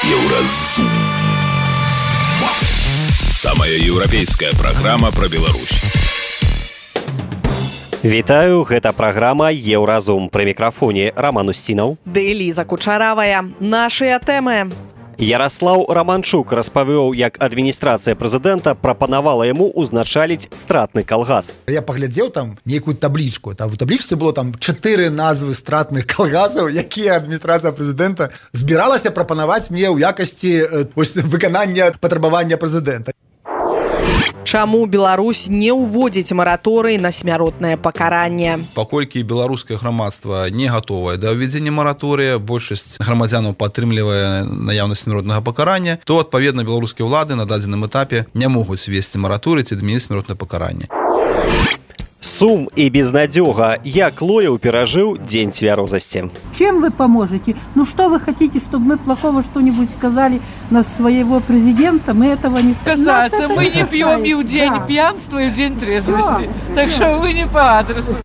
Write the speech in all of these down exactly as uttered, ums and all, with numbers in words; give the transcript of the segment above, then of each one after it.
Еўразум. Самая еўрапейская праграма пра Беларусь. Вітаю, гэта праграма «Еўразум». Пры мікрафоне Роман Устінаў. Ды Ліза Кучаравая. Нашыя тэмы. Яраслаў Раманчук распавёў, як адміністрацыя прэзідэнта прапанавала яму ўзначаліць стратны калгас. Я паглядзеў там нейкую таблічку. Там у таблічцы было там чатыры назвы стратных калгасаў, якія адміністрацыя прэзідэнта збіралася прапанаваць мне ў якасці ось, выканання патрабавання прэзідэнта. Чаму Беларусь не ўводзіць мараторый на смяротнае пакаранне? Паколькі беларускае грамадства не гатовае да ўвядзення мараторыя, большасць грамадзянаў падтрымлівае наяўнасць смяротнага пакарання, то, адпаведна, беларускія ўлады на дадзеным этапе не могуць весці мараторый ці адмяніць смяротнае пакаранне. Сум и безнадёга. Як Лоев пережил день твердости. Чем вы поможете? Ну что вы хотите, чтобы мы плохого что-нибудь сказали на своего президента? Мы этого не скажем. Касается, мы не пьем и в день да. пьянства, и в день трезвости. Все, так что вы не по адресу.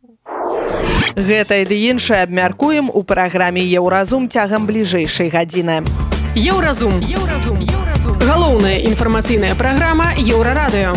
Гэта і ды іншае абмяркуем у праграме «Еўразум» цягам бліжэйшай гадзіны. Еўразум. Еўразум. Еўразум. Галоўная інфармацыйная праграма Еўрарадыё.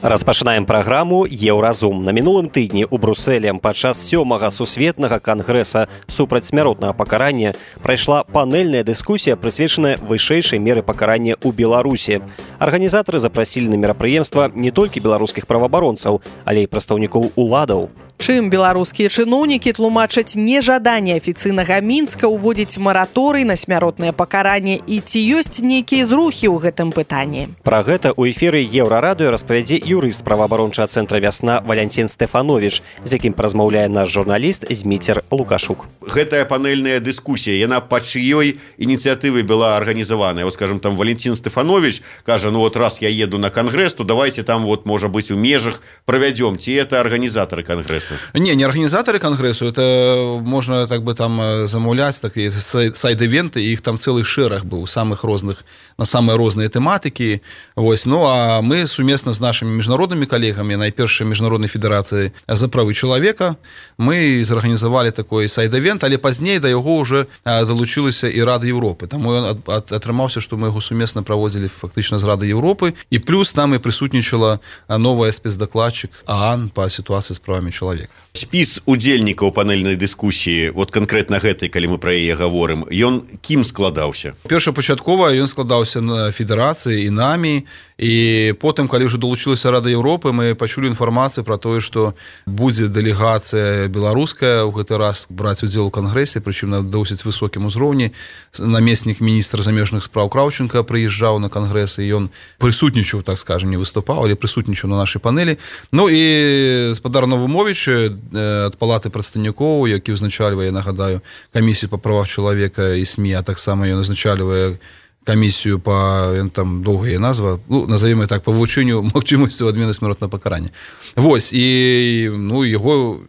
Распачынаем праграму «Еўразум». На мінулым тыдні ў Брусэлі падчас сёмага сусветнага кангрэса супраць смяротнага пакарання прайшла панельная дыскусія, прысвечаная вышэйшай меры пакарання ў Беларусі. Арганізатары запрасілі на мерапрыемства не толькі беларускіх праваабаронцаў, але і прадстаўнікоў уладаў. Чым беларускія чыноўнікі тлумачаць нежаданне афіцыйнага Мінска ўводзіць мараторый на смяротнае пакаранне і ці ёсць нейкія зрухі ў гэтым пытанні? Пра гэта ў эфіры Еўрарадыё распавядзе юрыст праваабарончага цэнтра «Вясна» Валянцін Стэфановіч, з якім празмаўляе наш журналіст Зміцер Лукашук. Гэтая панельная дыскусія, яна па чыёй ініцыятывы была арганізаваная. Вот, скажем, там Валянцін Стэфановіч кажа, ну вот раз я еду на кангрэс, то давайте там вот, можа быць, у межах правядзём. Ці это арганізатары кангрэсу? Не, не организаторы конгрессу, это можно так бы там замовлять, такие сайд-ивенты, их там целый шерах был, самых разных, на самые разные тематики. Вось. Ну, а мы совместно с нашими международными коллегами, найпершей Международной Федерации за правы человека, мы зорганизовали такой сайд-ивент, але позднее до его уже долучилась и Рада Европы. Там он отрымался, что мы его совместно проводили фактично с Радой Европы, и плюс нам и присутничала новая спецдокладчик ААН по ситуации с правами человека. Спіс удзельнікаў панельнай дыскусіі, вот канкрэтна гэтай, калі мы пра яе гаворым, ён кім складаўся? Першапачаткова ён складаўся на федэрацыі і намі, і потым, калі ўжо далучылася Рада Европы, мы пачулі інфармацыю пра тое, што будзе дэлегацыя беларуская ў гэты раз браць удзел у кангрэсе, прычым на досыць высокім узроўні. Намеснік міністра замежных спраў Краўченка прыязджаў на кангрэс, і ён прысутнічаў, так скажем, не выступаў, але прысутнічаў на нашай панелі. Ну і спадар Навумовіч ад палаты прадстаўнікоў, які ўзначальвае, я нагадаю, камісію па правах чалавека і СМІ, а таксама ён узначальвае камісію па, там доўгая назва, ну, назовем так, па вывучэнню магчымасцю адмены смяротнага пакарання. Вось, і ну, яго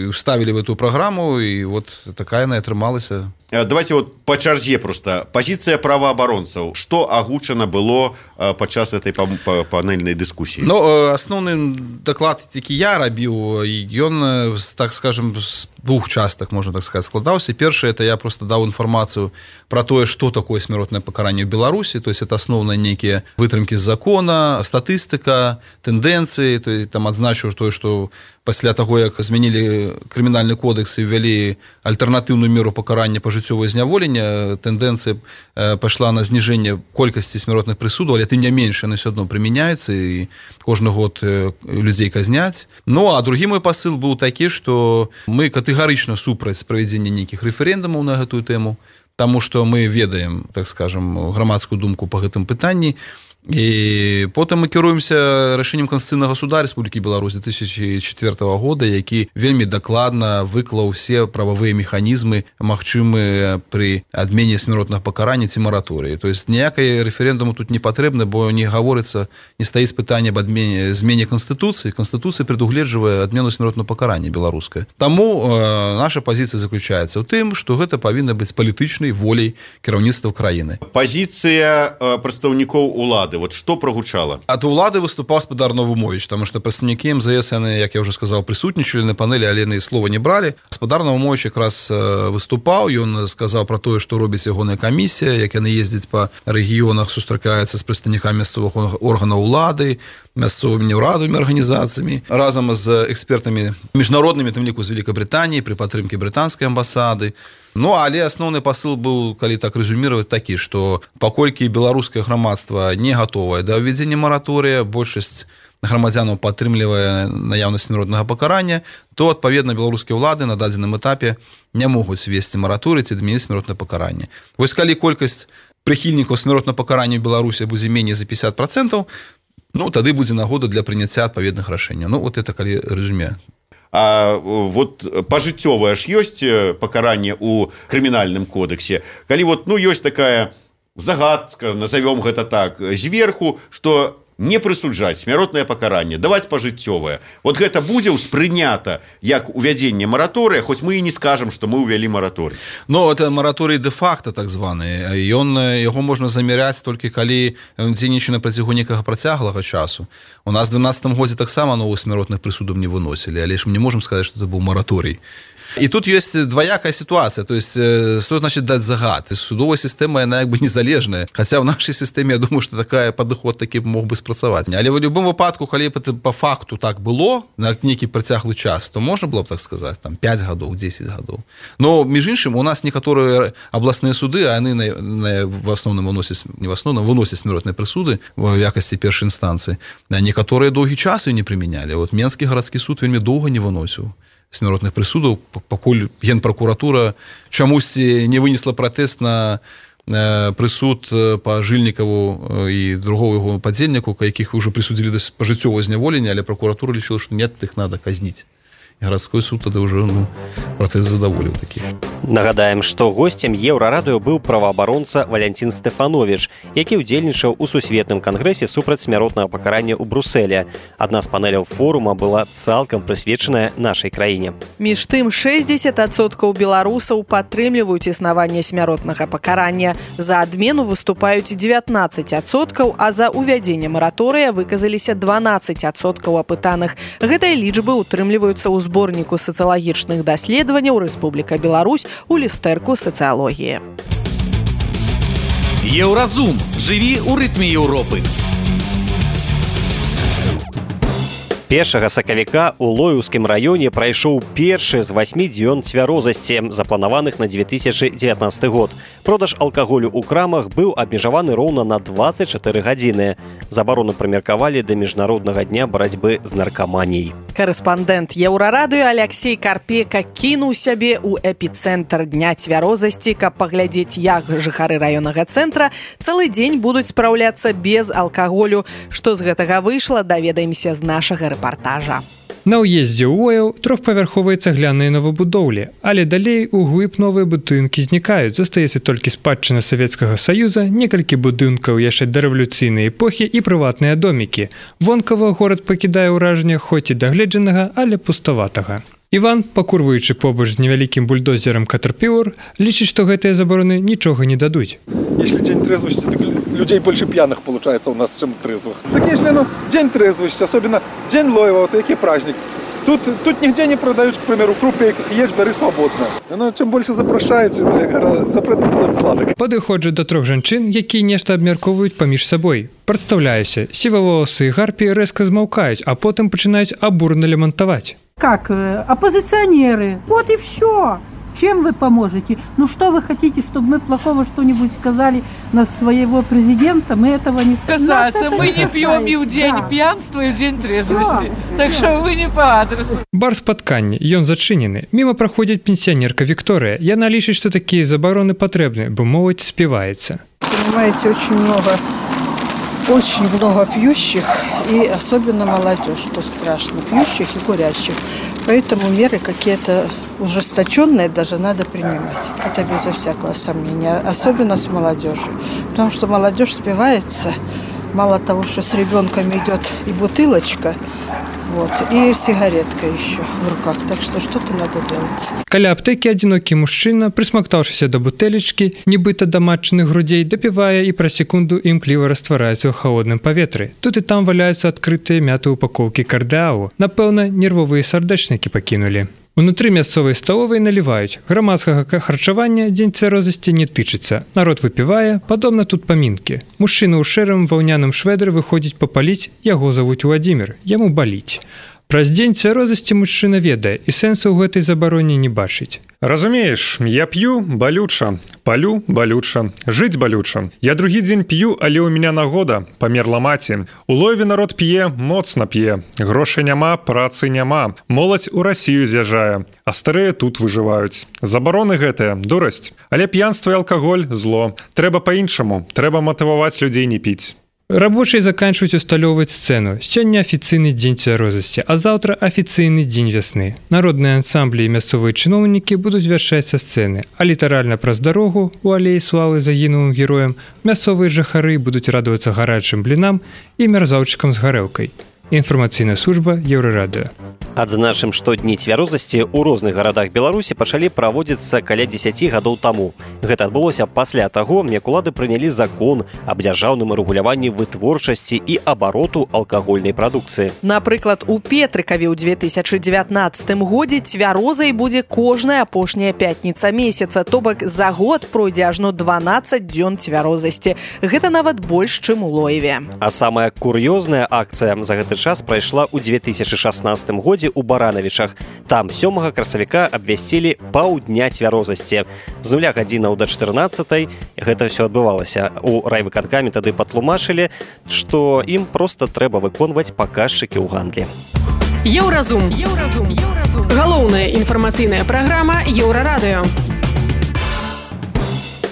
уставілі в эту праграму, і вот такая яна атрымалася. Давайте вот по чарзе просто. Позиция правоабаронцаў. Что агучана было падчас этой панельной дискуссии? Ну, основный доклад, які я рабіў, ён, так скажем, з двух частак, можно так сказать, складаўся. Першае, это я просто даў інфармацыю про тое, что такое смяротнае пакаранне в Беларуси. То есть это основные некие вытрымки з закона, статыстика, тенденции. То есть там адзначыў тое, что пасля таго, як змянілі крымінальны кодекс і ввялі альтэрнатыўную меру пакарання пажыццёвае зняволення, тэндэнцыя пайшла на зніжэнне колькасці смяротных прысудаў, але тым не менш яны ўсё адно прымяняюцца і кожны год людзей казняць. Ну, а другі мой пасыл быў такі, што мы катэгарычна супраць правядзення нейкіх рэферэндумаў на гэтую тэму, таму што мы ведаем, так скажем, грамадскую думку па гэтым пытанні. І потым мы кіруемся рашэннем Конституцыйнага суда Рэспублікі Беларусь две тысячи четвёртага года, які вельмі дакладна выклаў усе прававыя механізмы, магчымыя пры адмене смяротнага пакарання ці мараторыі. То есть ніякай рэферэндуму тут не патрэбна, бо не гаворыцца, не стаіць пытанне аб адмене змене Конституцыі. Конституцыя прадугледжвае адмену смяротнага пакарання беларускае. Таму э, наша пазіцыя заключаецца ў тым, што гэта павінна быць палітычнай воляй кіраўніцтва краіны. Пазіцыя э, прадстаўнікоў улады. улады вот что прогучала? Ад улады выступаў спадар Навумович, таму што прадстаўнікі эм зэ эс яны, як я ўжо сказаў, прысутнічалі на панелі, але яны слова не бралі. Спадар Навумович якраз выступаў, ён сказаў пра тое, што робіць ягоная камісія, як яны ездзяць па рэгіёнах, сустракаюцца з прадстаўнікамі мясцовых органаў улады, мясцовымі неўрадавымі арганізацыямі, разам з экспертамі міжнароднымі, тым ліку з Великабрытаніі, пры падтрымке брытанскай амбасады. Ну, але асноўны пасыл быў, калі так рэзюміраваць, такі, што паколькі беларускае грамадства не гатовае да ўвядзення мараторыя, большасць грамадзянаў падтрымлівае наяўнасць смяротнага пакарання, то, адпаведна, беларускія ўлады на дадзеным этапе не могуць весці мараторый ці адмяніць смяротнае пакаранне. Вось калі колькасць прыхільнікаў смяротнага пакарання ў Беларусі будзе меней за пятьдесят процентов, ну, тады будзе нагода для прыняцця адпаведных рашэнняў. Ну, вот это калі рэзюме. А вот пажыццёвае ж ёсць пакаранне ў крымінальным кодексе. Калі вот, ну, ёсць такая загадка, назовём гэта так, зверху, што не прысуджаць смяротнае пакаранне, даваць пажыццёвае. Вот гэта будзе ўспрынята як увядзенне мараторыя, хоць мы і не скажам, што мы ўвялі мараторый. Ну, это мараторый дэ-факта, так званы. Ён, яго можна замяряць толькі калі ён дзейнічае на працягу некага працяглага часу. У нас в дванаццатым годзе таксама новых смяротных прысудаў не выносілі, але ж мы не можам сказаць, што это быў мараторый. І тут ёсць двоякая сітуацыя, то есть што значит даць загад? Судовая сістэма, яна як бы незалежная, хаця ў нашай сістэме, я думаю, што такая падыход такі мог бы спрацаваць. Але ў любым выпадку, калі па факту так было на нейкі працяглы час, то можна было б так сказаць, там пять гадоў, десять гадоў. Но між іншым у нас некаторыя абласныя суды, а яны на, на, в асноўным выносяць, не в асноўным выносяць смяротныя прысуды в якасці першай інстанцыі. Некаторыя доўгі час не прымянялі. Вот Менскі гарадскі суд вельмі доўга не выносіў смяротных прысудаў, пакуль генпракуратура чамусьці не вынесла пратэст на прысуд па Жыльнікаву і другого яго падзельніку, якіх ўжо прысудзілі да пажыццёвага зняволення, але пракуратура лічыла, што нет, іх надо казніць. І гарадской суд тады ўжо ну, пратэст задаволіў такі. Нагадаем, што госцем Еўрарадыё быў праваабаронца Валянцін Стэфановіч, які ўдзельнічаў у сусветным кангрэсе супраць смяротнага пакарання ў Брусэле. Адна з панеляў форума была цалкам прысвечаная нашай краіне. Між тым, шэсцьдзесят адсоткаў беларусаў падтрымліваюць існаванне смяротнага пакарання. За адмену выступаюць дзевятнаццаць адсоткаў, а за ўвядзенне мараторыя выказаліся дванаццаць адсоткаў апытаных. Гэтыя лічбы утрымліваюцца ў зборніку сацыялагічных даследаванняў Рэспубліка Беларусь у люстэрку сацыялогіі. Еўразум. Жыві ў рытме Еўропы. Першага сакавіка ў Лоеўскім раёне прайшоў першы з васьмі дзён цвярозасці, запланаваных на две тысячи девятнадцатый год. Продаж алкаголю ў крамах быў абмежаваны роўна на двадцать четыре гадзіны. Забарону прымеркавалі да міжнароднага дня барацьбы з наркаманіяй. Карэспандэнт Еўрарадыё Аляксей Карпека кінуў сябе ў эпіцэнтр дня цвярозасці, каб паглядзець, як жыхары раённага цэнтра цэлы дзень будуць спраўляцца без алкаголю. Што з гэтага выйшла, даведаемся з нашага рэпартажа. На ўездзе ў Ояў трохпавярховыя цагляныя новабудоўлі, але далей у глыб новыя будынкі знікаюць. Застаецца толькі спадчына Савецкага Саюза, некалькі будынкаў яшчэ дарэвалюцыйнай эпохі і прыватныя домікі. Вонкава горад пакідае ўражанне хоць і дагледжанага, але пуставатага. Іван, пакурваючы побач з невялікім бульдозерам Катерпілар, лічыць, што гэтыя забароны нічога не дадуць. Если день трезвости, так людей больше пьяных получается у нас, чем трезвых. Так если, ну, день трезвости, особенно день Лоева, вот який праздник, тут, тут нигде не продают, к примеру, крупейках, ешь, бери свободно. Но чем больше запрашаюць, запретны плод сладок. Падыходжу да трох жанчын, якія нешта абмяркоўваюць паміж сабой. Прадстаўляюся, сіваволасы і гарпі рэзка змаўкаюць, а потым пачынаюць абурна лямантаваць. Как? Оппозиционеры. Вот и все. Чем вы поможете? Ну что вы хотите, чтобы мы плохого что-нибудь сказали на своего президента? Мы этого не скажем. Касается, мы не пьем и в день да. пьянства, и в день трезвости. Все, так все. Что вы не по адресу. Бар спаткання, ён зачынены. Міма праходзіць пенсіянерка Вікторыя. Яна лічыць, што такія забароны патрэбны, бо моладзь співаецца. Понимаете, очень много, очень много пьющих, и особенно молодежь, что страшно, пьющих и курящих. Поэтому меры какие-то ужесточенные даже надо принимать. Это безо всякого сомнения. Особенно с молодежью. Потому что молодежь спивается. Мало того, что с ребенком идет и бутылочка, Вот. И сигаретка еще в руках. Так что что-то надо делать. Каля аптэкі адзінокі мужчына, прысмактаўшыся да бутэлечкі, нібыта да матчаных грудзей, дапівае і праз секунду імкліва раствараецца ў халодным паветры. Тут і там валяюцца адкрытыя мяты упакоўкі кардыалу. Напэўна, нервовыя сардэчнікі пакінулі. Унутры мясцовай сталовай наліваюць. Грамадскага харчавання дзень цвярозасці не тычыцца. Народ выпівае, падобна тут памінкі. Мужчына ў шэрым ваўняным швэдры выходзіць папаліць, яго завуць Владзімір, яму баліць. Праз дзень цвярозасці мужчына ведае і сэнсу ў гэтай забароне не бачыць. Разумееш, я п'ю балюча, палю балюча, жыць балюча. Я другі дзень п'ю, але ў меня нагода, памерла маці. У Лоеве народ п'е, моцна п'е. Грошай няма, працы няма. Моладзь у Расію з'язджае, а старыя тут выжываюць. Забароны гэтыя, дурасць. Але п'янства і алкаголь – зло. Трэба па-іншаму, трэба матываваць людзей не піць. Рабочыя заканчваюць усталёўваць сцэну. Сёння афіцыйны дзень цвярозасці, а заўтра афіцыйны дзень вясны. Народныя ансамблі і мясцовыя чыноўнікі будуць вяшчаць са сцэны, а літаральна праз дарогу у алеі славы загінулым героям мясцовыя жыхары будуць радавацца гарачым блінам і мярзаўчыкам з гарэлкай. Інфармацыйная служба Еўрарадыё. Адзначым, што дні цвярозасці ў розных гарадах Беларусі пачалі праводзіцца каля дзесяці гадоў таму. Гэта адбылося пасля таго, як улады прынялі закон аб дзяржаўным рэгуляванні вытворчасці і абароту алкагольнай прадукцыі. Напрыклад, у Петрыкаве ў две тысячы дзевятнаццатым годзе цвярозай будзе кожная апошняя пятніца месяца, то бок за год пройдзе ажно дванаццаць дзён цвярозасці. Гэта нават больш, чым у Лоеве. А самая кур'ёзная акцыя за гэты час прайшла ў две тысячы шаснаццатым годзе у Баранавічах. Там сёмага красавіка абвясцілі паўдня цвярозасці. З нуля гадзінаў да чатырнаццатай гэта ўсё адбывалася. У райвыканкаме тады патлумачылі, што ім проста трэба выконваць паказчыкі ў гандлі. Еўразум. Еўразум. Еўразум. Галоўная інфармацыйная праграма Еўрарадыё.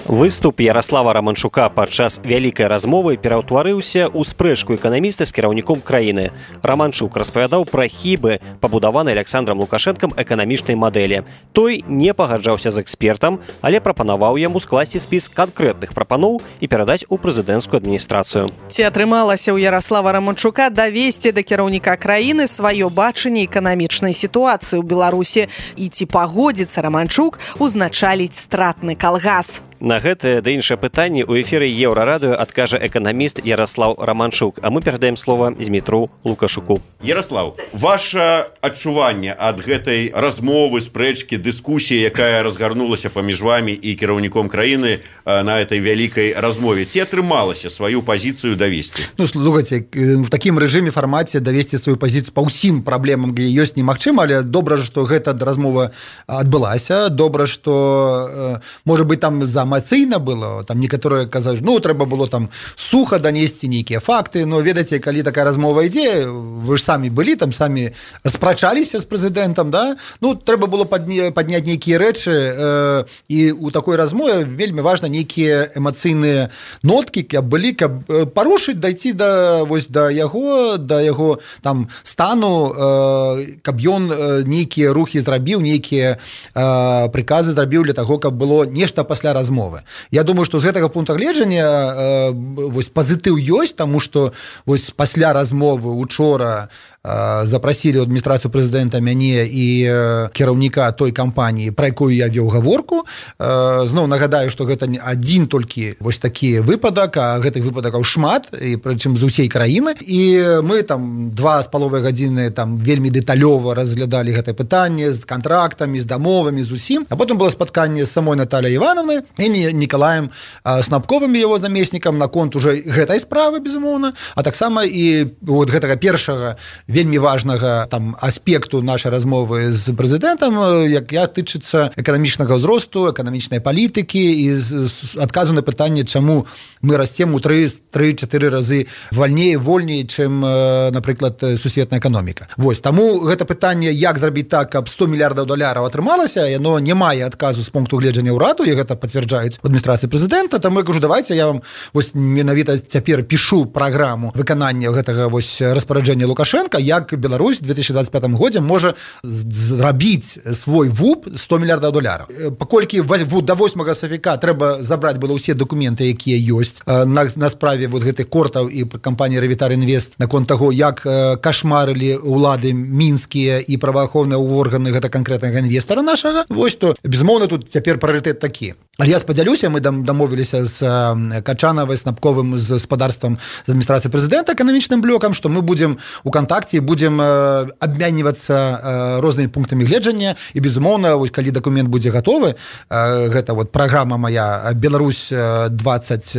Выступ Ярослава Романчука падчас вялікай размовы пераўтварыўся ў спрэчку эканаміста з кіраўніком краіны. Романчук распавядаў пра хібы, пабудаванай Александрам Лукашэнкам эканамічнай мадэлі. Той не пагаджаўся з экспертам, але прапанаваў яму скласці спіс канкрэтных прапаноў і перадаць у прэзідэнцкую адміністрацыю. Ці атрымалася ў Ярослава Романчука давесці да кіраўніка краіны сваё бачанне эканамічнай сітуацыі ў Беларусі і ці пагодзіцца Романчук узначаліць стратны калгас? На гэтае да іншае пытанне ў эфіры Еўрарадыё адкажа эканаміст Ярослав Романчук, а мы перадаем слова Змітру Лукашуку. Ярослав, ваше адчуванне ад гэтай размовы, спрэчкі, дыскусіі, якая разгарнулася паміж вамі і кіраўніком краіны на этой вялікай размове, ці атрымалася сваю пазіцыю давесці? Ну, слухайце, в такім рэжыме фармаце давесці сваю пазіцыю па ўсім праблемам, где ёсць немагчыма, але добра, што гэта размова адбылася, добра, што можа быць там за эмацыйна было, там некаторыя казаць, ну, трэба было там суха данесці нейкія факты, но ведаеце, калі такая размова ідзе, вы ж самі былі, там самі спрачаліся з прэзідэнтам, да? Ну, трэба было падняць нейкія рэчы, э, і ў такой размове вельмі важна нейкія эмацыйныя ноткі, каб былі, каб парушыць, дайці да, вось, да яго, да яго там стану, э, каб ён нейкія рухі зрабіў, нейкія э, прыказы зрабіў для таго, каб было нешта пасля размовы. Я думаю, што з гэтага пункта гледжання э, вось пазітыў ёсць, таму што вось пасля размовы учора э, запрасілі ў адміністрацыю прэзідэнта мяне і э, кіраўніка той кампаніі, пра якую я вёў гаворку. Э, зноў нагадаю, што гэта не адзін толькі вось такі выпадак, а гэтых выпадакаў шмат, і прычым з усей краіны. І мы там два з паловай гадзіны там вельмі дэталёва разглядалі гэтае пытанне з кантрактамі, з дамовамі, з усім. А потым было спатканне з самой Натальей Івановнай і Николаем Снапковым, его намеснікам, наконт уже гэтай справы, безумоўна, а таксама і вот гэтага першага вельмі важнага там аспекту нашай размовы з прэзідэнтам, як я тычыцца эканамічнага ўзросту, эканамічнай палітыкі і адказу на пытанне, чаму мы расцем у тры-чатыры разы вальней, вольней, чым, напрыклад, сусветная эканоміка. Вось, таму гэта пытанне, як зрабіць так, каб сто мільярдаў даляраў атрымалася, яно не мае адказу з пункту гледжання ўраду, і гэта пацвярджаюць адміністрацыі прэзідэнта, там я кажу, давайте я вам вось менавіта цяпер пішу праграму выканання гэтага вось распараджэння Лукашенка, як Беларусь в две тысячи двадцать пятом годзе можа зрабіць свой вуп сто мільярдаў доляраў. Паколькі до восьмага сакавіка трэба забраць было ўсе дакументы, якія ёсць на, на справе вот гэтых кортаў і кампаніі Ревітар Інвест наконт таго, як кашмарылі ўлады мінскія і праваахоўныя органы гэта канкрэтнага інвестара нашага. Вось то, безумоўна, тут цяпер прыярытэт такі. Але я спадзялюся, мы дамовіліся з Качанавай, Снапковым, з гаспадарствам, з адміністрацыяй прэзідэнта, эканамічным блокам, што мы будзем у кантакце, будзем абмяньвацца рознымі пунктамі гледжання, і, безумоўна, вось, калі дакумент будзе гатовы, гэта вот праграма моя Беларусь двадцать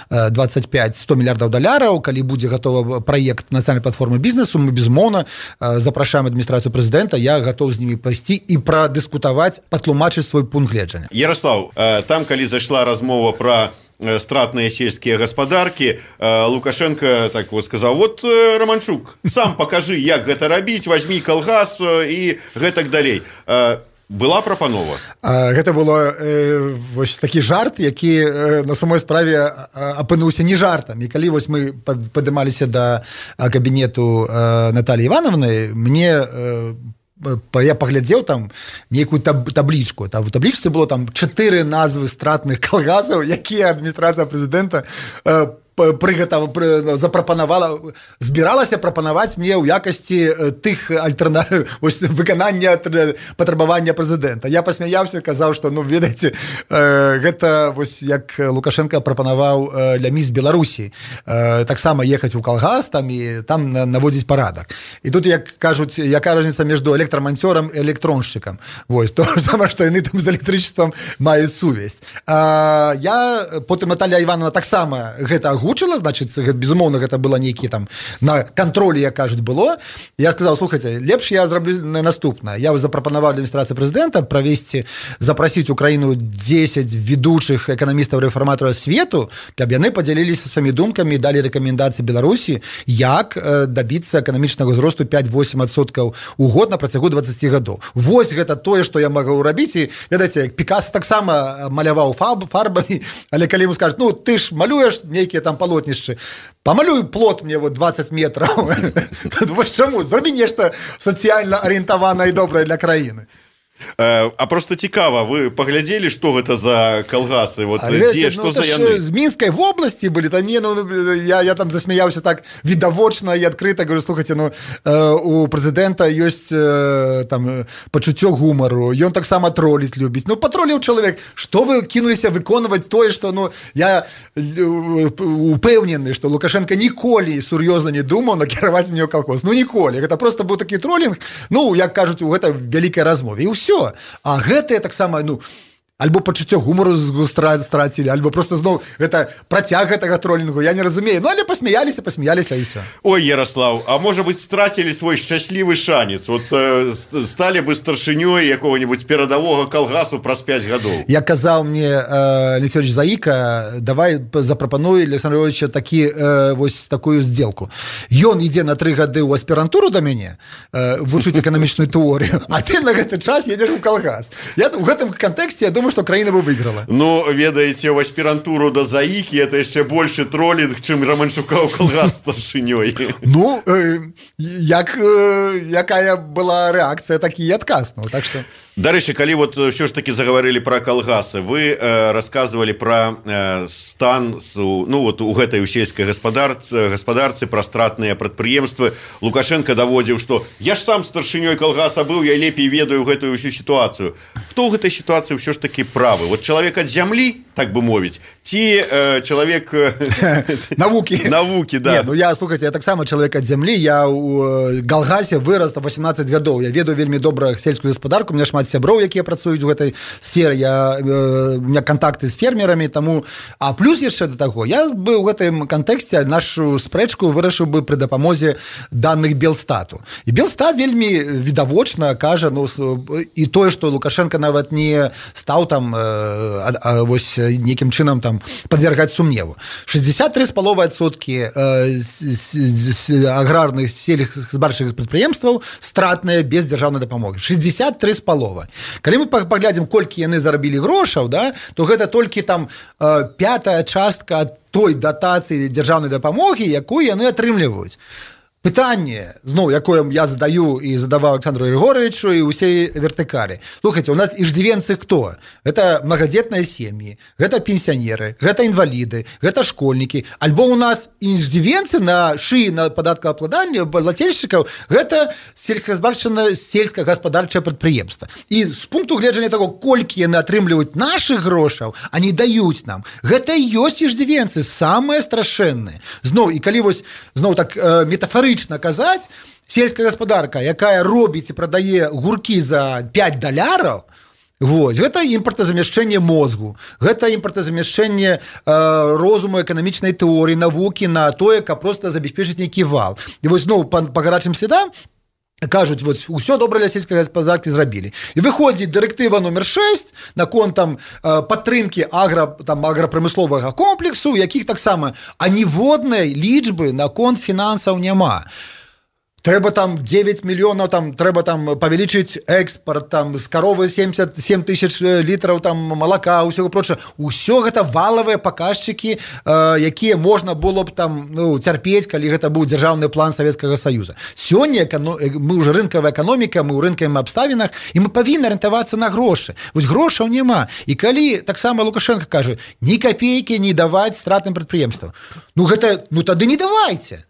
двадцать пять сто мільярдаў даляраў, калі будзе гатовы праект нацыянальнай платформы бізнесу, мы, безумоўна, запрашаем адміністрацыю прэзідэнта, я гатоў з німі пайсці і прадыскутаваць, патлумачыць свой пункт гледжання. Ярослав, там, калі зайшла размова про стратные сельские господарки, Лукашенко так вот сказал: вот, Романчук, сам покажи, як гэта рабіць, возьми колгас и гэтак далей. Была прапанова? Гэта было э, вось такі жарт, які э, на самой справе апынуўся не жартам. І калі вось мы падымаліся да кабінету э, Натальи Ивановны, мне э, я паглядзеў там нейкую таб таблічку. Там у таблічцы было там чатыры назвы стратных калгасаў, якія адміністрацыя прэзідэнта э, прыгатава запрапанавала, збіралася прапанаваць мне ў якасці тых альтэрна... выканання патрабавання прэзідэнта. Я пасмяяўся, казаў, што, ну, ведаеце, гэта вось як Лукашенко прапанаваў для міс Беларусі таксама ехаць у калгас там і там наводзіць парадак. І тут, як кажуць, якая розніца міжду электраманцёрам і электроншчыкам. Вось, то сама, што яны там з электрычествам маюць сувязь. Я, потым Наталья Івановна таксама гэта агучыла, значит, безумоўна, гэта было нейкі там на кантролі, як кажуць, было. Я сказаў: слухайце, лепш я зраблю наступнае. Я запрапанаваў для адміністрацыі прэзідэнта правесці, запрасіць у краіну дзесяць ведучых эканамістаў-рэфарматараў свету, каб яны падзяліліся сваімі думкамі, далі рэкамендацыі Беларусі, як дабіцца эканамічнага ўзросту пять-восемь адсоткаў у год на працягу двадцати гадоў. Вось гэта тое, што я магу рабіць. І, ведаеце, Пікаса таксама маляваў фарбамі, але калі ему скажуць: ну, ты ж малюеш нейкія там полотнішчы, памалюй плот мне вот двадцать метраў. Вось чаму? Зробі нешта сацыяльна арыентаванае і добрае для краіны. А просто цікава, вы паглядзелі, што гэта за калгасы, вот дзе, што за яны? З Мінскай вобласці былі, там не, ну, я, я там засмяяўся так відавочна і адкрыта, говорю: слухайте, ну, у прэзідэнта ёсць там пачуццё гумару, ён таксама троліць любіць. Ну, патроліў чалавек, што вы кінуліся выконваць тое, што, ну, я упэўнены, што Лукашенко ніколі сур'ёзна не думаў накіраваць мне ў калгас. Ну, ніколі. Гэта просто быў такі тролінг, ну, як кажуць, у гэта вялікай размове. І ўсё. А гэтае таксама, ну, альбо пачуццё гумару страцілі, альбо просто зноў гэта працяг гэтага тролінгу, я не разумею. Ну, але пасмяяліся, пасмяяліся і ўсё. Ой, Ярослав, а можа быць, страцілі свой шчаслівы шанец? Вот э, сталі бы старшынёй якога-нибудь перадавога калгасу праз пять гадоў. Я казаў мне э, Лефёрович Заіка: давай запрапануй Александра Львовича такі, э, вось такую здзелку. Ён ідзе на тры гады ў аспірантуру да мяне э, вучыць эканамічную тэорыю, а ты на гэты час едзеш у калгас. Я у гэтым кантэксце, я думаю, што краіна бы выйграла. Ну, ведаеце, ў аспірантуру да Заікі это яшчэ большы тролінг, чым Романчука ў калгас старшынёй. Ну, э, як, э, якая была рэакцыя, такі і адказ. Ну, так што... Дарэчы, калі вот ўсё ж таки заговорили про калгасы, вы э, рассказывали про э, стан у, ну, вот, у гэтай у сельскай гаспадарцы, гаспадарцы, про стратныя прадпрыемствы. Лукашенко даводзіў, што я ж сам старшынёй калгаса быў, я лепей ведаю гэтую ўсю сітуацыю. Хто ў гэтай сітуацыі ўсё ж таки правы? Вот чалавек ад зямлі, так бы мовіць, ці э, чалавек навукі. Навукі, да. Не, ну я, слухайте, я таксама чалавек ад зямлі, я ў калгасе вырас на восемнадцать гадоў. Я ведаю вельмі добра сельскую гаспадарку, у меня шмат сяброў, якія працуюць у гэтай сферы, я, э, у меня контакты з фермерамі, таму... А плюс яшчэ да таго, я бы ў гэтым кантэксце нашу спрэчку вырашыў бы пры дапамозе даных Белстату. І Белстат вельмі відавочна кажа, ну, і тое, што Лукашенко нават не стаў там э, а, а, вось нейкім чынам там падвяргаць сумневу. шестьдесят три з паловай адсоткі э, аграрных сельскохозяйственных прадпрыемстваў стратныя без дзяржаўнай дапамогі. шестьдесят три з паловай. Калі мы паглядзім, колькі яны зарабілі грошаў, да, то гэта толькі там э, пятая частка ад той датацыі дзяржаўнай дапамогі, якую яны атрымліваюць. Пытанне, зноў, якое я задаю і задаваў Александру Григоровичу і ўсей вертыкалі. Слухайте, у нас иждивенцы кто? Это многодетныя сем'і, гэта пенсіянеры, гэта інваліды, гэта школьнікі. Альбо у нас иждивенцы на шыі на падаткаабкладанне плательшчыкаў, гэта сельскохозяйственное сельскохозяйственное прадпрыемства. І з пункту гледжання таго, колькі яны атрымліваюць нашых грошаў, они даюць нам. Гэта і ёсць иждивенцы, самыя страшэнныя. Зноў, і калі вось, зноў так э, метафорычна казаць, сельская гаспадарка, якая робіць і прадае гуркі за пять даляраў, вось, гэта імпартазамяшчэнне мозгу, гэта імпартазамяшчэнне э, розуму, эканамічнай тэорыі, навукі на тое, каб проста забяспечыць нейкі вал. І вось зноў па, па гарачым следам кажуць, вот, усё добра для сельскай гаспадаркі зрабілі. І выходзіць дырэктыва номер шесть наконт там падтрымкі агра, там, аграпрамысловага комплексу, якіх таксама аніводнай лічбы наконт фінансаў няма. Трэба там девять мільёнаў, там трэба там павялічыць экспорт, там з каровы семьдесят семь тысяч літраў там малака, усього прочего. Усё гэта валавыя паказчыкі, э, якія можна было б там ну, цярпець, калі гэта быў дзяржаўны план Савецкага Саюза. Сёння эконом... мы ўжо рынкавая эканоміка, мы ў рынкавых абставінах, і мы павінны арыентавацца на грошы. Вось грошаў няма. І калі таксама Лукашенко кажа, ні капейкі не даваць стратным прадпрыемствам. Ну гэта, ну тады не давайце.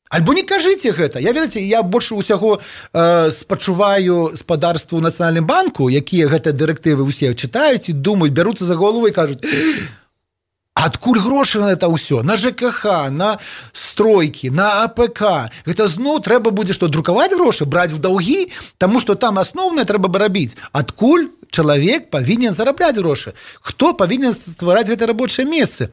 Альбо не кажыце гэта. Я, ведаце, я больш усяго э, спачуваю спадарству Нацыянальным банку, якія гэтыя дырэктывы ўсе чытаюць і думаюць, бяруцца за голову і кажуць, адкуль грошы на это ўсё? На ЖКХ, на стройкі, на АПК. Гэта зноў трэба будзе што, друкаваць грошы, браць у даўгі, таму што там асноўнае трэба бы рабіць. Адкуль чалавек павінен зарабляць грошы? Хто павінен ствараць гэтыя рабочыя месцы?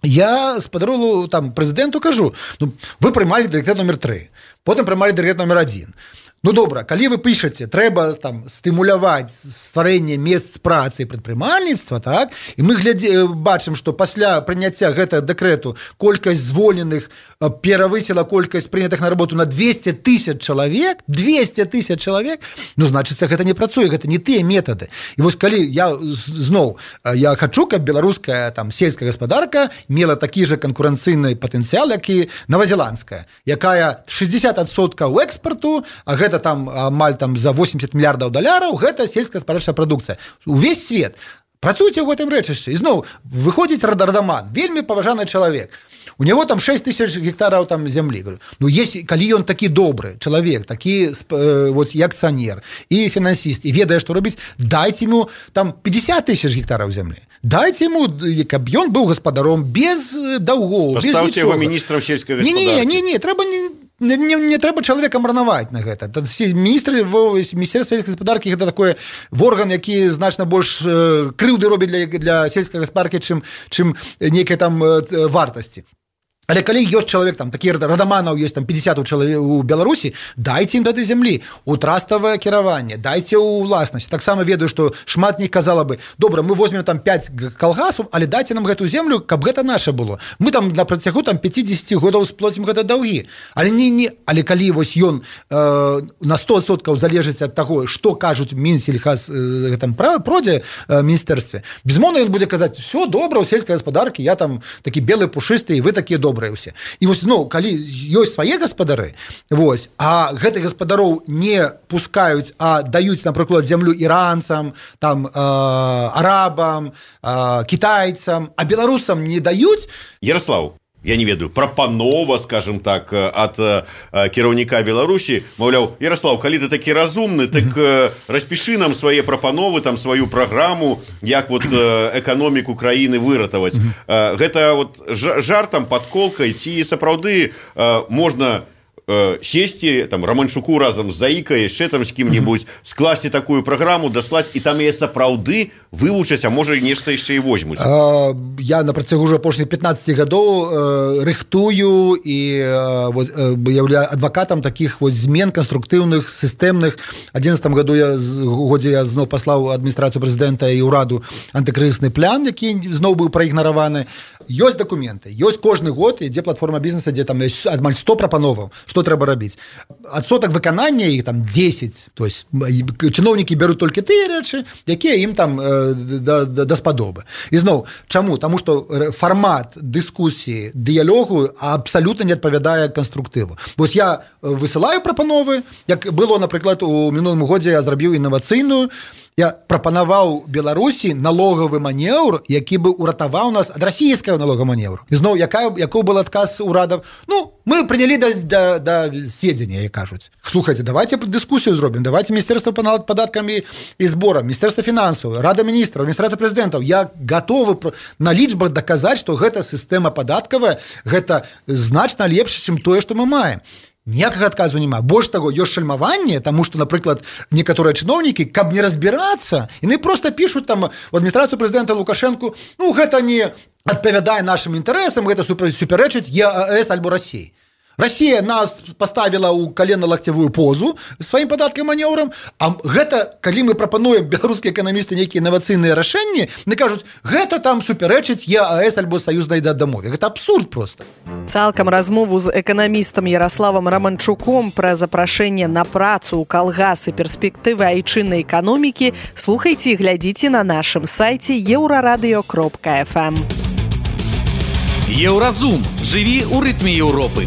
Я спадаролу там прэзідэнту кажу, ну, вы прымалі дырэктэт номер три, потым прымалі дырэктэт номер один. Ну, добра, калі вы пішаце, трэба там стымуляваць стварэнне месц працы і прадпрымальніцтва, так? І мы глядзе, бачым, што пасля прыняцця гэтага дэкрэту колькасць звольненых перавысіла колькасць прынятых на работу на двести тысяч чалавек, двести тысяч чалавек, ну, значыцца, гэта не працуе, гэта не тыя метады. І вось калі я зноў, я хачу, каб беларуская там сельская гаспадарка мела такі же канкурэнцыйны патэнцыял, як і новазеландская, якая шестьдесят адсоткаў экспарту, а гэта там амаль там за восемьдесят мільярдаў даляраў, гэта сельскагаспадарчая прадукцыя. Увесь свет. Працуйце ў гэтым рэчышчы. І зноў, выходзіць радаман, вельмі паважаны чалавек. У него там шесть тысяч гектараў там зямлі. Говорю, ну, если, калі ён такі добры чалавек, такі э, вот, і акцыянер, і фінансіст, і ведае, што робіць, дайце ему там пятьдесят тысяч гектараў зямлі. Дайце ему, каб ён быў гаспадаром без даўгоў, без нічога. Паставьте его министром сельскай гаспадаркі. Не, не, не, трэба не... Не, не, не трэба чалавека марнаваць на гэта. Міністры міністэрства сельскай гаспадаркі гэта такой орган, які значна больш э, крыўды робіць для, для сельскай гаспадаркі, чым, чым нейкай там э, вартасці. Але калі ёсць чалавек, там, такі радаманаў ёсць там пятьдесят у, чалавек, у Беларусі, дайце ім тады зямлі, у траставае кіраванне, дайце ў ўласнасць. Таксама ведаю, што шмат них казала бы, добра, мы возьмем там пять калгасаў, але дайце нам гэту землю, каб гэта наша было. Мы там на працягу там пятьдесят годаў сплоцім гэта даўгі. Але не, не, але калі вось ён э, на сто адсоткаў залежыць ад таго, што кажуць Мінсельхаз э, гэтым продзе э, міністэрстве, безумоўна ён будзе казаць, все добра ў сельскай гаспадаркі, я там такі белы пушысты, і вы такія добрыя. Усе. І вось, ну, калі ёсць свае гаспадары, вось, а гэтых гаспадароў не пускаюць, а даюць, напрыклад, зямлю іранцам, там, э, арабам, э, кітайцам, а беларусам не даюць... Ярослав, я не ведаю, прапанова, скажем так, ад э, кіраўніка Беларусі, маўляў, Ярослав, калі ты такі разумны, так э, распішы нам свае прапановы, там сваю праграму, як вот э, эканоміку краіны выратаваць. Э, гэта вот жартам, падколкай, ці сапраўды э, можна э, сесці, там, Романчуку разам з Заікай, яшчэ там з кім-небудзь, скласці такую праграму, даслаць, і там яе сапраўды вывучаць, а можа, нешта яшчэ і возьмуць. А, я на працягу уже апошніх пятнадцати гадоў э, рыхтую і э, вот, э, являю адвакатам такіх вот змен канструктыўных, сістэмных. У адзінаццатым году я, годзе я зноў паслаў адміністрацыю прэзідэнта і ўраду антыкрызісны план, які зноў быў праігнараваны. ёсць дакументы, ёсць кожны год, ідзе платформа бізнеса, дзе там ёсць амаль сто прапановаў, што трэба рабіць. Адсотак выканання іх там дзесяць, то есть чыноўнікі бяруць толькі тыя рэчы, якія ім там э, да, да, даспадобы. І зноў, чаму? Таму што фармат дыскусіі, дыялогу абсалютна не адпавядае канструктыву. Вось я высылаю прапановы, як было, напрыклад, у мінулым годзе я зрабіў інавацыйную, я прапанаваў Беларусі налогавы манеўр, які бы уратаваў нас ад расійскага налогавага манеўру. І зноў, якая, якой был адказ урадаў? Ну, мы прынялі да, да, да сведзення, як кажуць. Слухайце, давайте дыскусію зробім, давайте Міністэрства па падаткамі і зборам, Міністэрства фінансаў, Рада міністраў, адміністрацыя прэзідэнтаў. Я гатовы на лічбах даказаць, што гэта сістэма падаткавая, гэта значна лепш, чым тое, што мы маем. Ніякага адказу няма. Больш таго, ёсць шальмаванне, таму што, напрыклад, некаторыя чыноўнікі, каб не разбірацца, яны проста пішуць там у адміністрацыю прэзідэнта Лукашэнку, ну, гэта не адпавядае нашым інтарэсам, гэта супярэчыць ЕАЭС альбо Расіі. Расія нас паставіла ў калена-лакцявую позу сваім падаткам манеўрам, а гэта, калі мы прапануем беларускія эканамісты нейкія інавацыйныя рашэнні, яны кажуць, гэта там супярэчыць ЕАЭС альбо саюзнай дамове. Гэта абсурд проста. Цалкам размову з эканамістам Ярославам Раманчуком пра запрашэнне на працу ў калгас і перспектывы айчыннай эканомікі слухайце і глядзіце на нашым сайце еўрарадыё кропка эф эм. Еўразум. Жыві ў рытме Еўропы.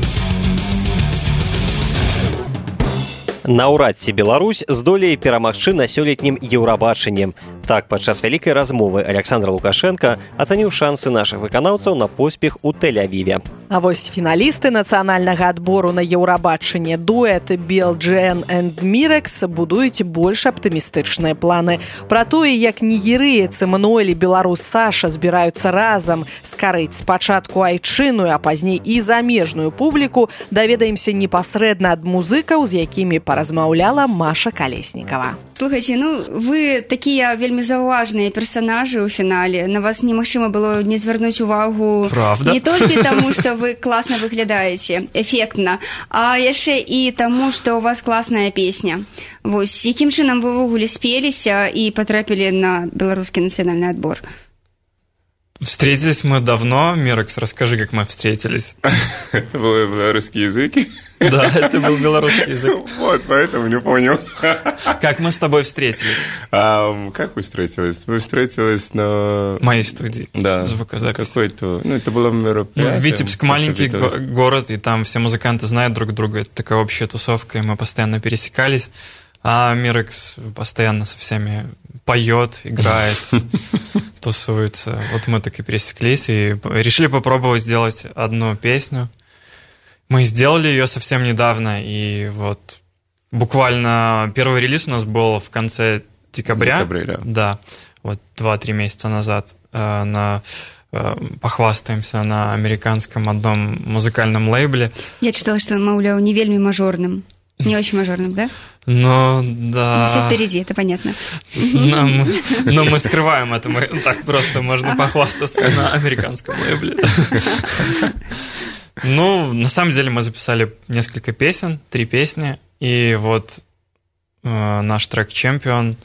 Наўрад ці Беларусь здолее перамагчы на сёлетнім Еўрабачанні. Так, падчас вялікай размовы Александр Лукашенко ацаніў шансы нашых выканаўцаў на поспех у Тель-Авіве. А вось фіналісты нацыянальнага адбору на Еўрабачанне дуэт Белджен энд Мірекс будуюць больш аптымістычныя планы. Пра тое, як нігерыец Эмануэль і беларус Саша збіраюцца разам скарыць спачатку айчынную, а пазней і замежную публіку, даведаемся непасрэдна ад музыкаў, з якімі паразмаўляла Маша Калеснікава. Слухайте, ну вы такія вельмі заўважныя персанажы ў фінале. На вас немагчыма было не звярнуць увагу. Правда? Не толькі таму, што вы класна выглядаеце, эфектна, а яшчэ і таму, што у вас класная песня. Вось, якім чынам вы ўвогуле спеліся і патрапілі на беларускі нацыянальны адбор? Встретились мы давно. Мирекс, расскажи, как мы встретились. Это был белорусский язык? Да, это был белорусский язык. Вот, поэтому не понял. Как мы с тобой встретились? А, как мы встретились? Мы встретились на... моей студии. Да. Звукозапись. Какой-то... Ну, это было мероприятие. Ну, Витебск маленький го- город, и там все музыканты знают друг друга. Это такая общая тусовка, и мы постоянно пересекались. А Мирекс постоянно со всеми поет, играет, тусуется. Вот мы так и пересеклись и решили попробовать сделать одну песню. Мы сделали ее совсем недавно, и вот буквально первый релиз у нас был в конце декабря. Декабря, да. Да, вот два-три месяца назад э, на, э, похвастаемся на американском одном музыкальном лейбле. Я читала, что, маўляў, не вельмі мажорным. Не очень мажорным, да? Ну, да. Ну, все впереди, это понятно. Но мы, но мы скрываем это. Мы так просто можно похвастаться на американском лейбле. Ну, на самом деле мы записали несколько песен, три песни. И вот э, наш трек «Чемпион»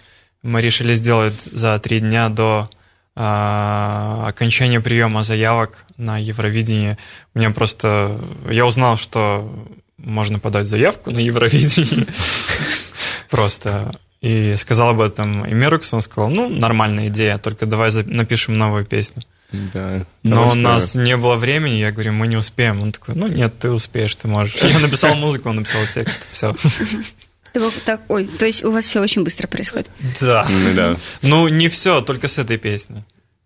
мы решили сделать за три дня до э, окончания приема заявок на Евровидение. Мне просто... Я узнал, что... можно подать заявку на Евровидение просто. И сказал об этом и Мирексу, он сказал, ну, нормальная идея, только давай напишем новую песню. Да. Но у нас не было времени, я говорю, мы не успеем. Он такой, ну, нет, ты успеешь, ты можешь. Я написал музыку, он написал текст, все. Так, ой, то есть у вас все очень быстро происходит? Да. да. Ну, не все, только с этой песней.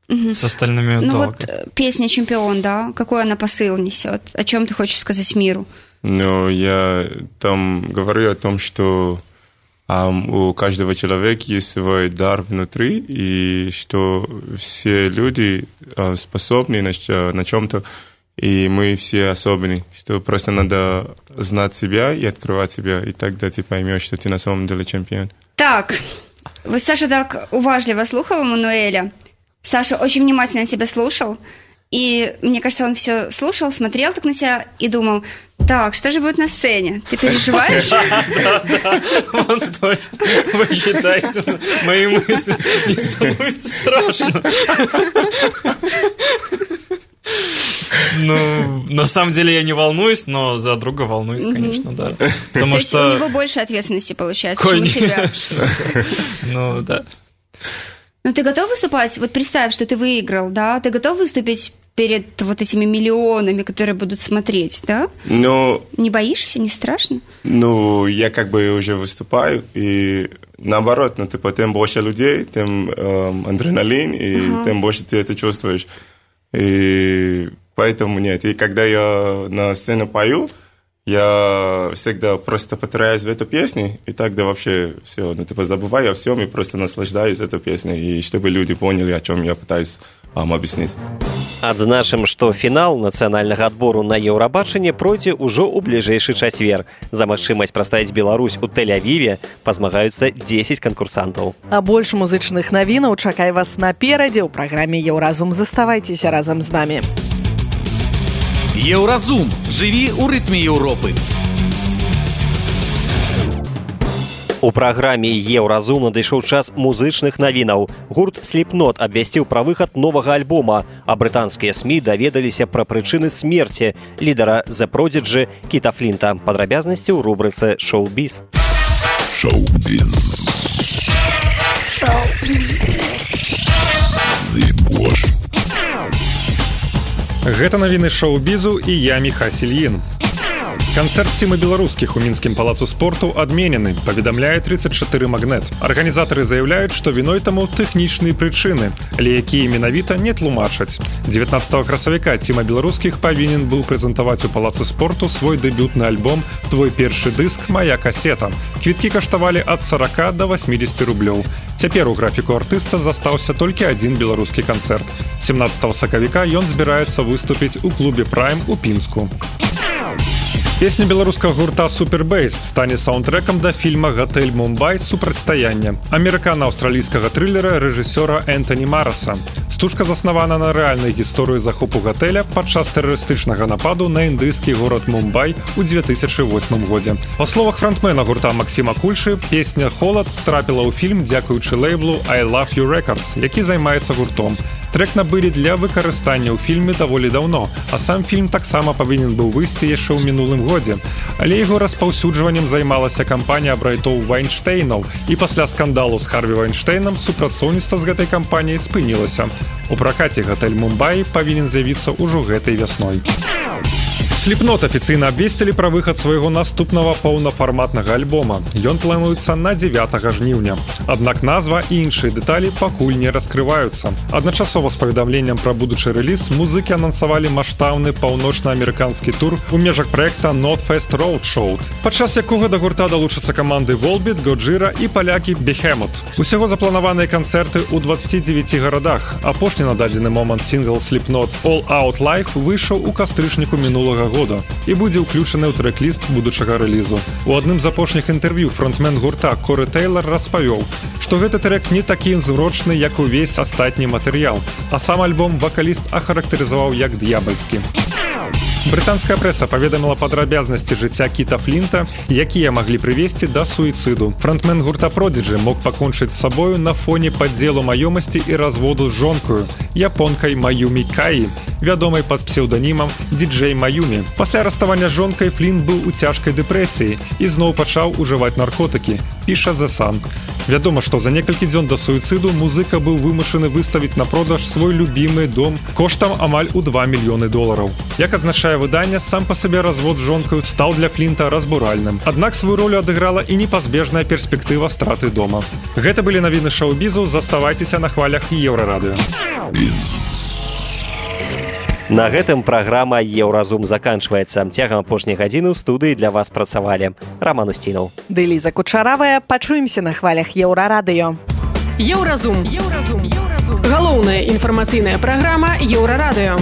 Угу. С остальными ну, долго. Вот песня «Чемпион», да? Какой она посыл несет? О чем ты хочешь сказать миру? Но я там говорю о том, что um, у каждого человека есть свой дар внутри, и что все люди uh, способны на, на чем-то, и мы все особенные, что просто надо знать себя и открывать себя, и тогда ты поймешь, что ты на самом деле чемпион. Так, вы, Саша, так уважливо слухал Эммануэля. Саша очень внимательно тебя слушал. И, мне кажется, он все слушал, смотрел так на себя и думал, так, что же будет на сцене? Ты переживаешь? Да, да, он точно. Вы считаете, мои мысли не становятся страшно. Ну, на самом деле я не волнуюсь, но за друга волнуюсь, конечно, да. Потому То есть что... у него больше ответственности получается, чем у тебя. Ну, да. Ну, ты готов выступать? Вот представь, что ты выиграл, да? Ты готов выступить перед вот этими миллионами, которые будут смотреть, да? Ну... Не боишься, не страшно? Ну, я как бы уже выступаю, и наоборот, ну, типа, тем больше людей, тем эм, адреналин, и uh-huh. тем больше ты это чувствуешь. И поэтому нет. И когда я на сцене пою, я всегда просто потеряюсь в этой песне, и тогда вообще все, ну, типа, забываю о всем и просто наслаждаюсь этой песней, и чтобы люди поняли, о чем я пытаюсь вам объяснить. Адзначым, што фінал нацыянальнага адбору на Еўрабачанне пройдзе ўжо ў бліжэйшы чацвер. За магчымасць прадставіць Беларусь у Тель-Авіве пазмагаюцца дзесяць канкурсантаў. А больш музычных навінаў чакай вас наперадзе ў праграме Еўразум. Заставайцеся разам з намі. Еўразум. Жыві ў рытме Еўропы. У праграме Еўразум надышоў час музычных навінаў. Гурт Slipknot абвясціў пра выхад новага альбома, а брытанскія СМІ даведаліся пра прычыны смерці лідара The Prodigy Кіта Флінта. Падрабязнасці ў рубрыцы «Шоу-біз». Шоу-біз. Гэта навіны шоу-бізу і я Міха Сільін. Канцэрт цімы беларускіх у мінскім палацу спорту адменены, паведамляе тридцать чатыры магнет. Арганізатары заяўляюць, што віной таму тэхнічныя прычыны, але якія менавіта не тлумачаць. дзевятнаццатага красавіка ціма беларускіх павінен быў прэзентаваць у палацу спорту свой дэбютны альбом «Твой першы дыск, мая касета». Квіткі каштавалі ад сорока до восьмидесяти рублёў. Цяпер у графіку артыста застаўся толькі адзін беларускі канцэрт. семнадцатага сакавіка ён збіраецца выступіць у клубе «Прайм» у Пінску. Песня беларускага гурта «Супербейс» стане саундтрэкам да фільма «Гатэль Мумбай. Супрацьстаянне» амерыкана-аўстралійскага трылера рэжысёра Энтані Мараса. Стужка заснавана на рэальнай гісторыі захопу гатэля падчас тэрарыстычнага нападу на індыйскі горад Мумбай у две тысячи восьмым годзе. Па словах фронтмена гурта Максіма Кульшы, песня «Холад» трапіла ў фільм дзякуючы лейблу «I Love You Records», які займаецца гуртом. Трэк набылі для выкарыстання ў фільме даволі даўно, а сам фільм таксама павінен быў выйсці яшчэ ў мінулым годзе. Але яго распаўсюджваннем займалася кампанія брайтоў Вайнштейнаў, і пасля скандалу з Харві Вайнштейнам супрацоўніцтва з гэтай кампаніяй спынілася. У пракаце «Гатэль Мумбай» павінен з'явіцца ўжо гэтай вясной. Slipknot афіцыйна абвесцілі пра выхад свайго наступнага паўнафарматнага альбома. Ён плануецца на дзевятага жніўня. Аднак назва і іншыя дэталі пакуль не раскрываюцца. Адначасова з паведамленнем пра будучы рэліз музыкі анансавалі маштабны паўночна-амерыканскі тур у межах праекта Northfest Roadshow, падчас якога да гурта далучацца каманды Volbeat, Gojira і палякі Behemoth. Усяго запланаваныя канцэрты ў двадцати девяти гарадах. Апошні на дадзены момант сінгл Slipknot All Out Life выйшаў у кастрычніку мінулага года і будзе ўключаны ў трэк-ліст будучага рэлізу. У адным з апошніх інтэрв'ю фронтмен гурта Коры Тэйлар распавёў, што гэты трэк не такі зручны, як увесь астатні матэрыял, а сам альбом вакаліст ахарактарызаваў як д'ябальскі. Брытанская прэса паведаміла падрабязнасці жыцця Кіта Флінта, якія маглі прывесці да суіцыду. Фронтмен гурта Prodigy мог пакончыць з сабою на фоне падзелу маёмасці і разводу з жонкаю, японкай Маюмі Каі, вядомай пад псеўданімам Ді-Джей Маюмі. Пасля раставання з жонкай Флінт быў у цяжкай дэпрэсіі і зноў пачаў ужываць наркотыкі, піша The Sun. Вядома, што за некалькі дзён да суіцыду музыка быў вымушаны выставіць на продаж свой любімы дом коштам амаль у два мільёны долараў. Як адзначае выдання, сам па сабе развод з жонкаю стаў для Флінта разбуральным. Аднак сваю ролю адыграла і непазбежная перспектыва страты дома. Гэта былі навіны шоу-бізу, заставайцеся на хвалях Еўрарадыё. На гэтым праграма «Еўразум» заканчваецца. Цягам апошняй гадзіны ў студыі для вас працавалі Роман Устінаў. Ды Ліза Кучаравая. Пачуемся на хвалях Еўрарадыё. Еўразум. Еўразум. Галоўная інфармацыйная праграма Еўрарадыё.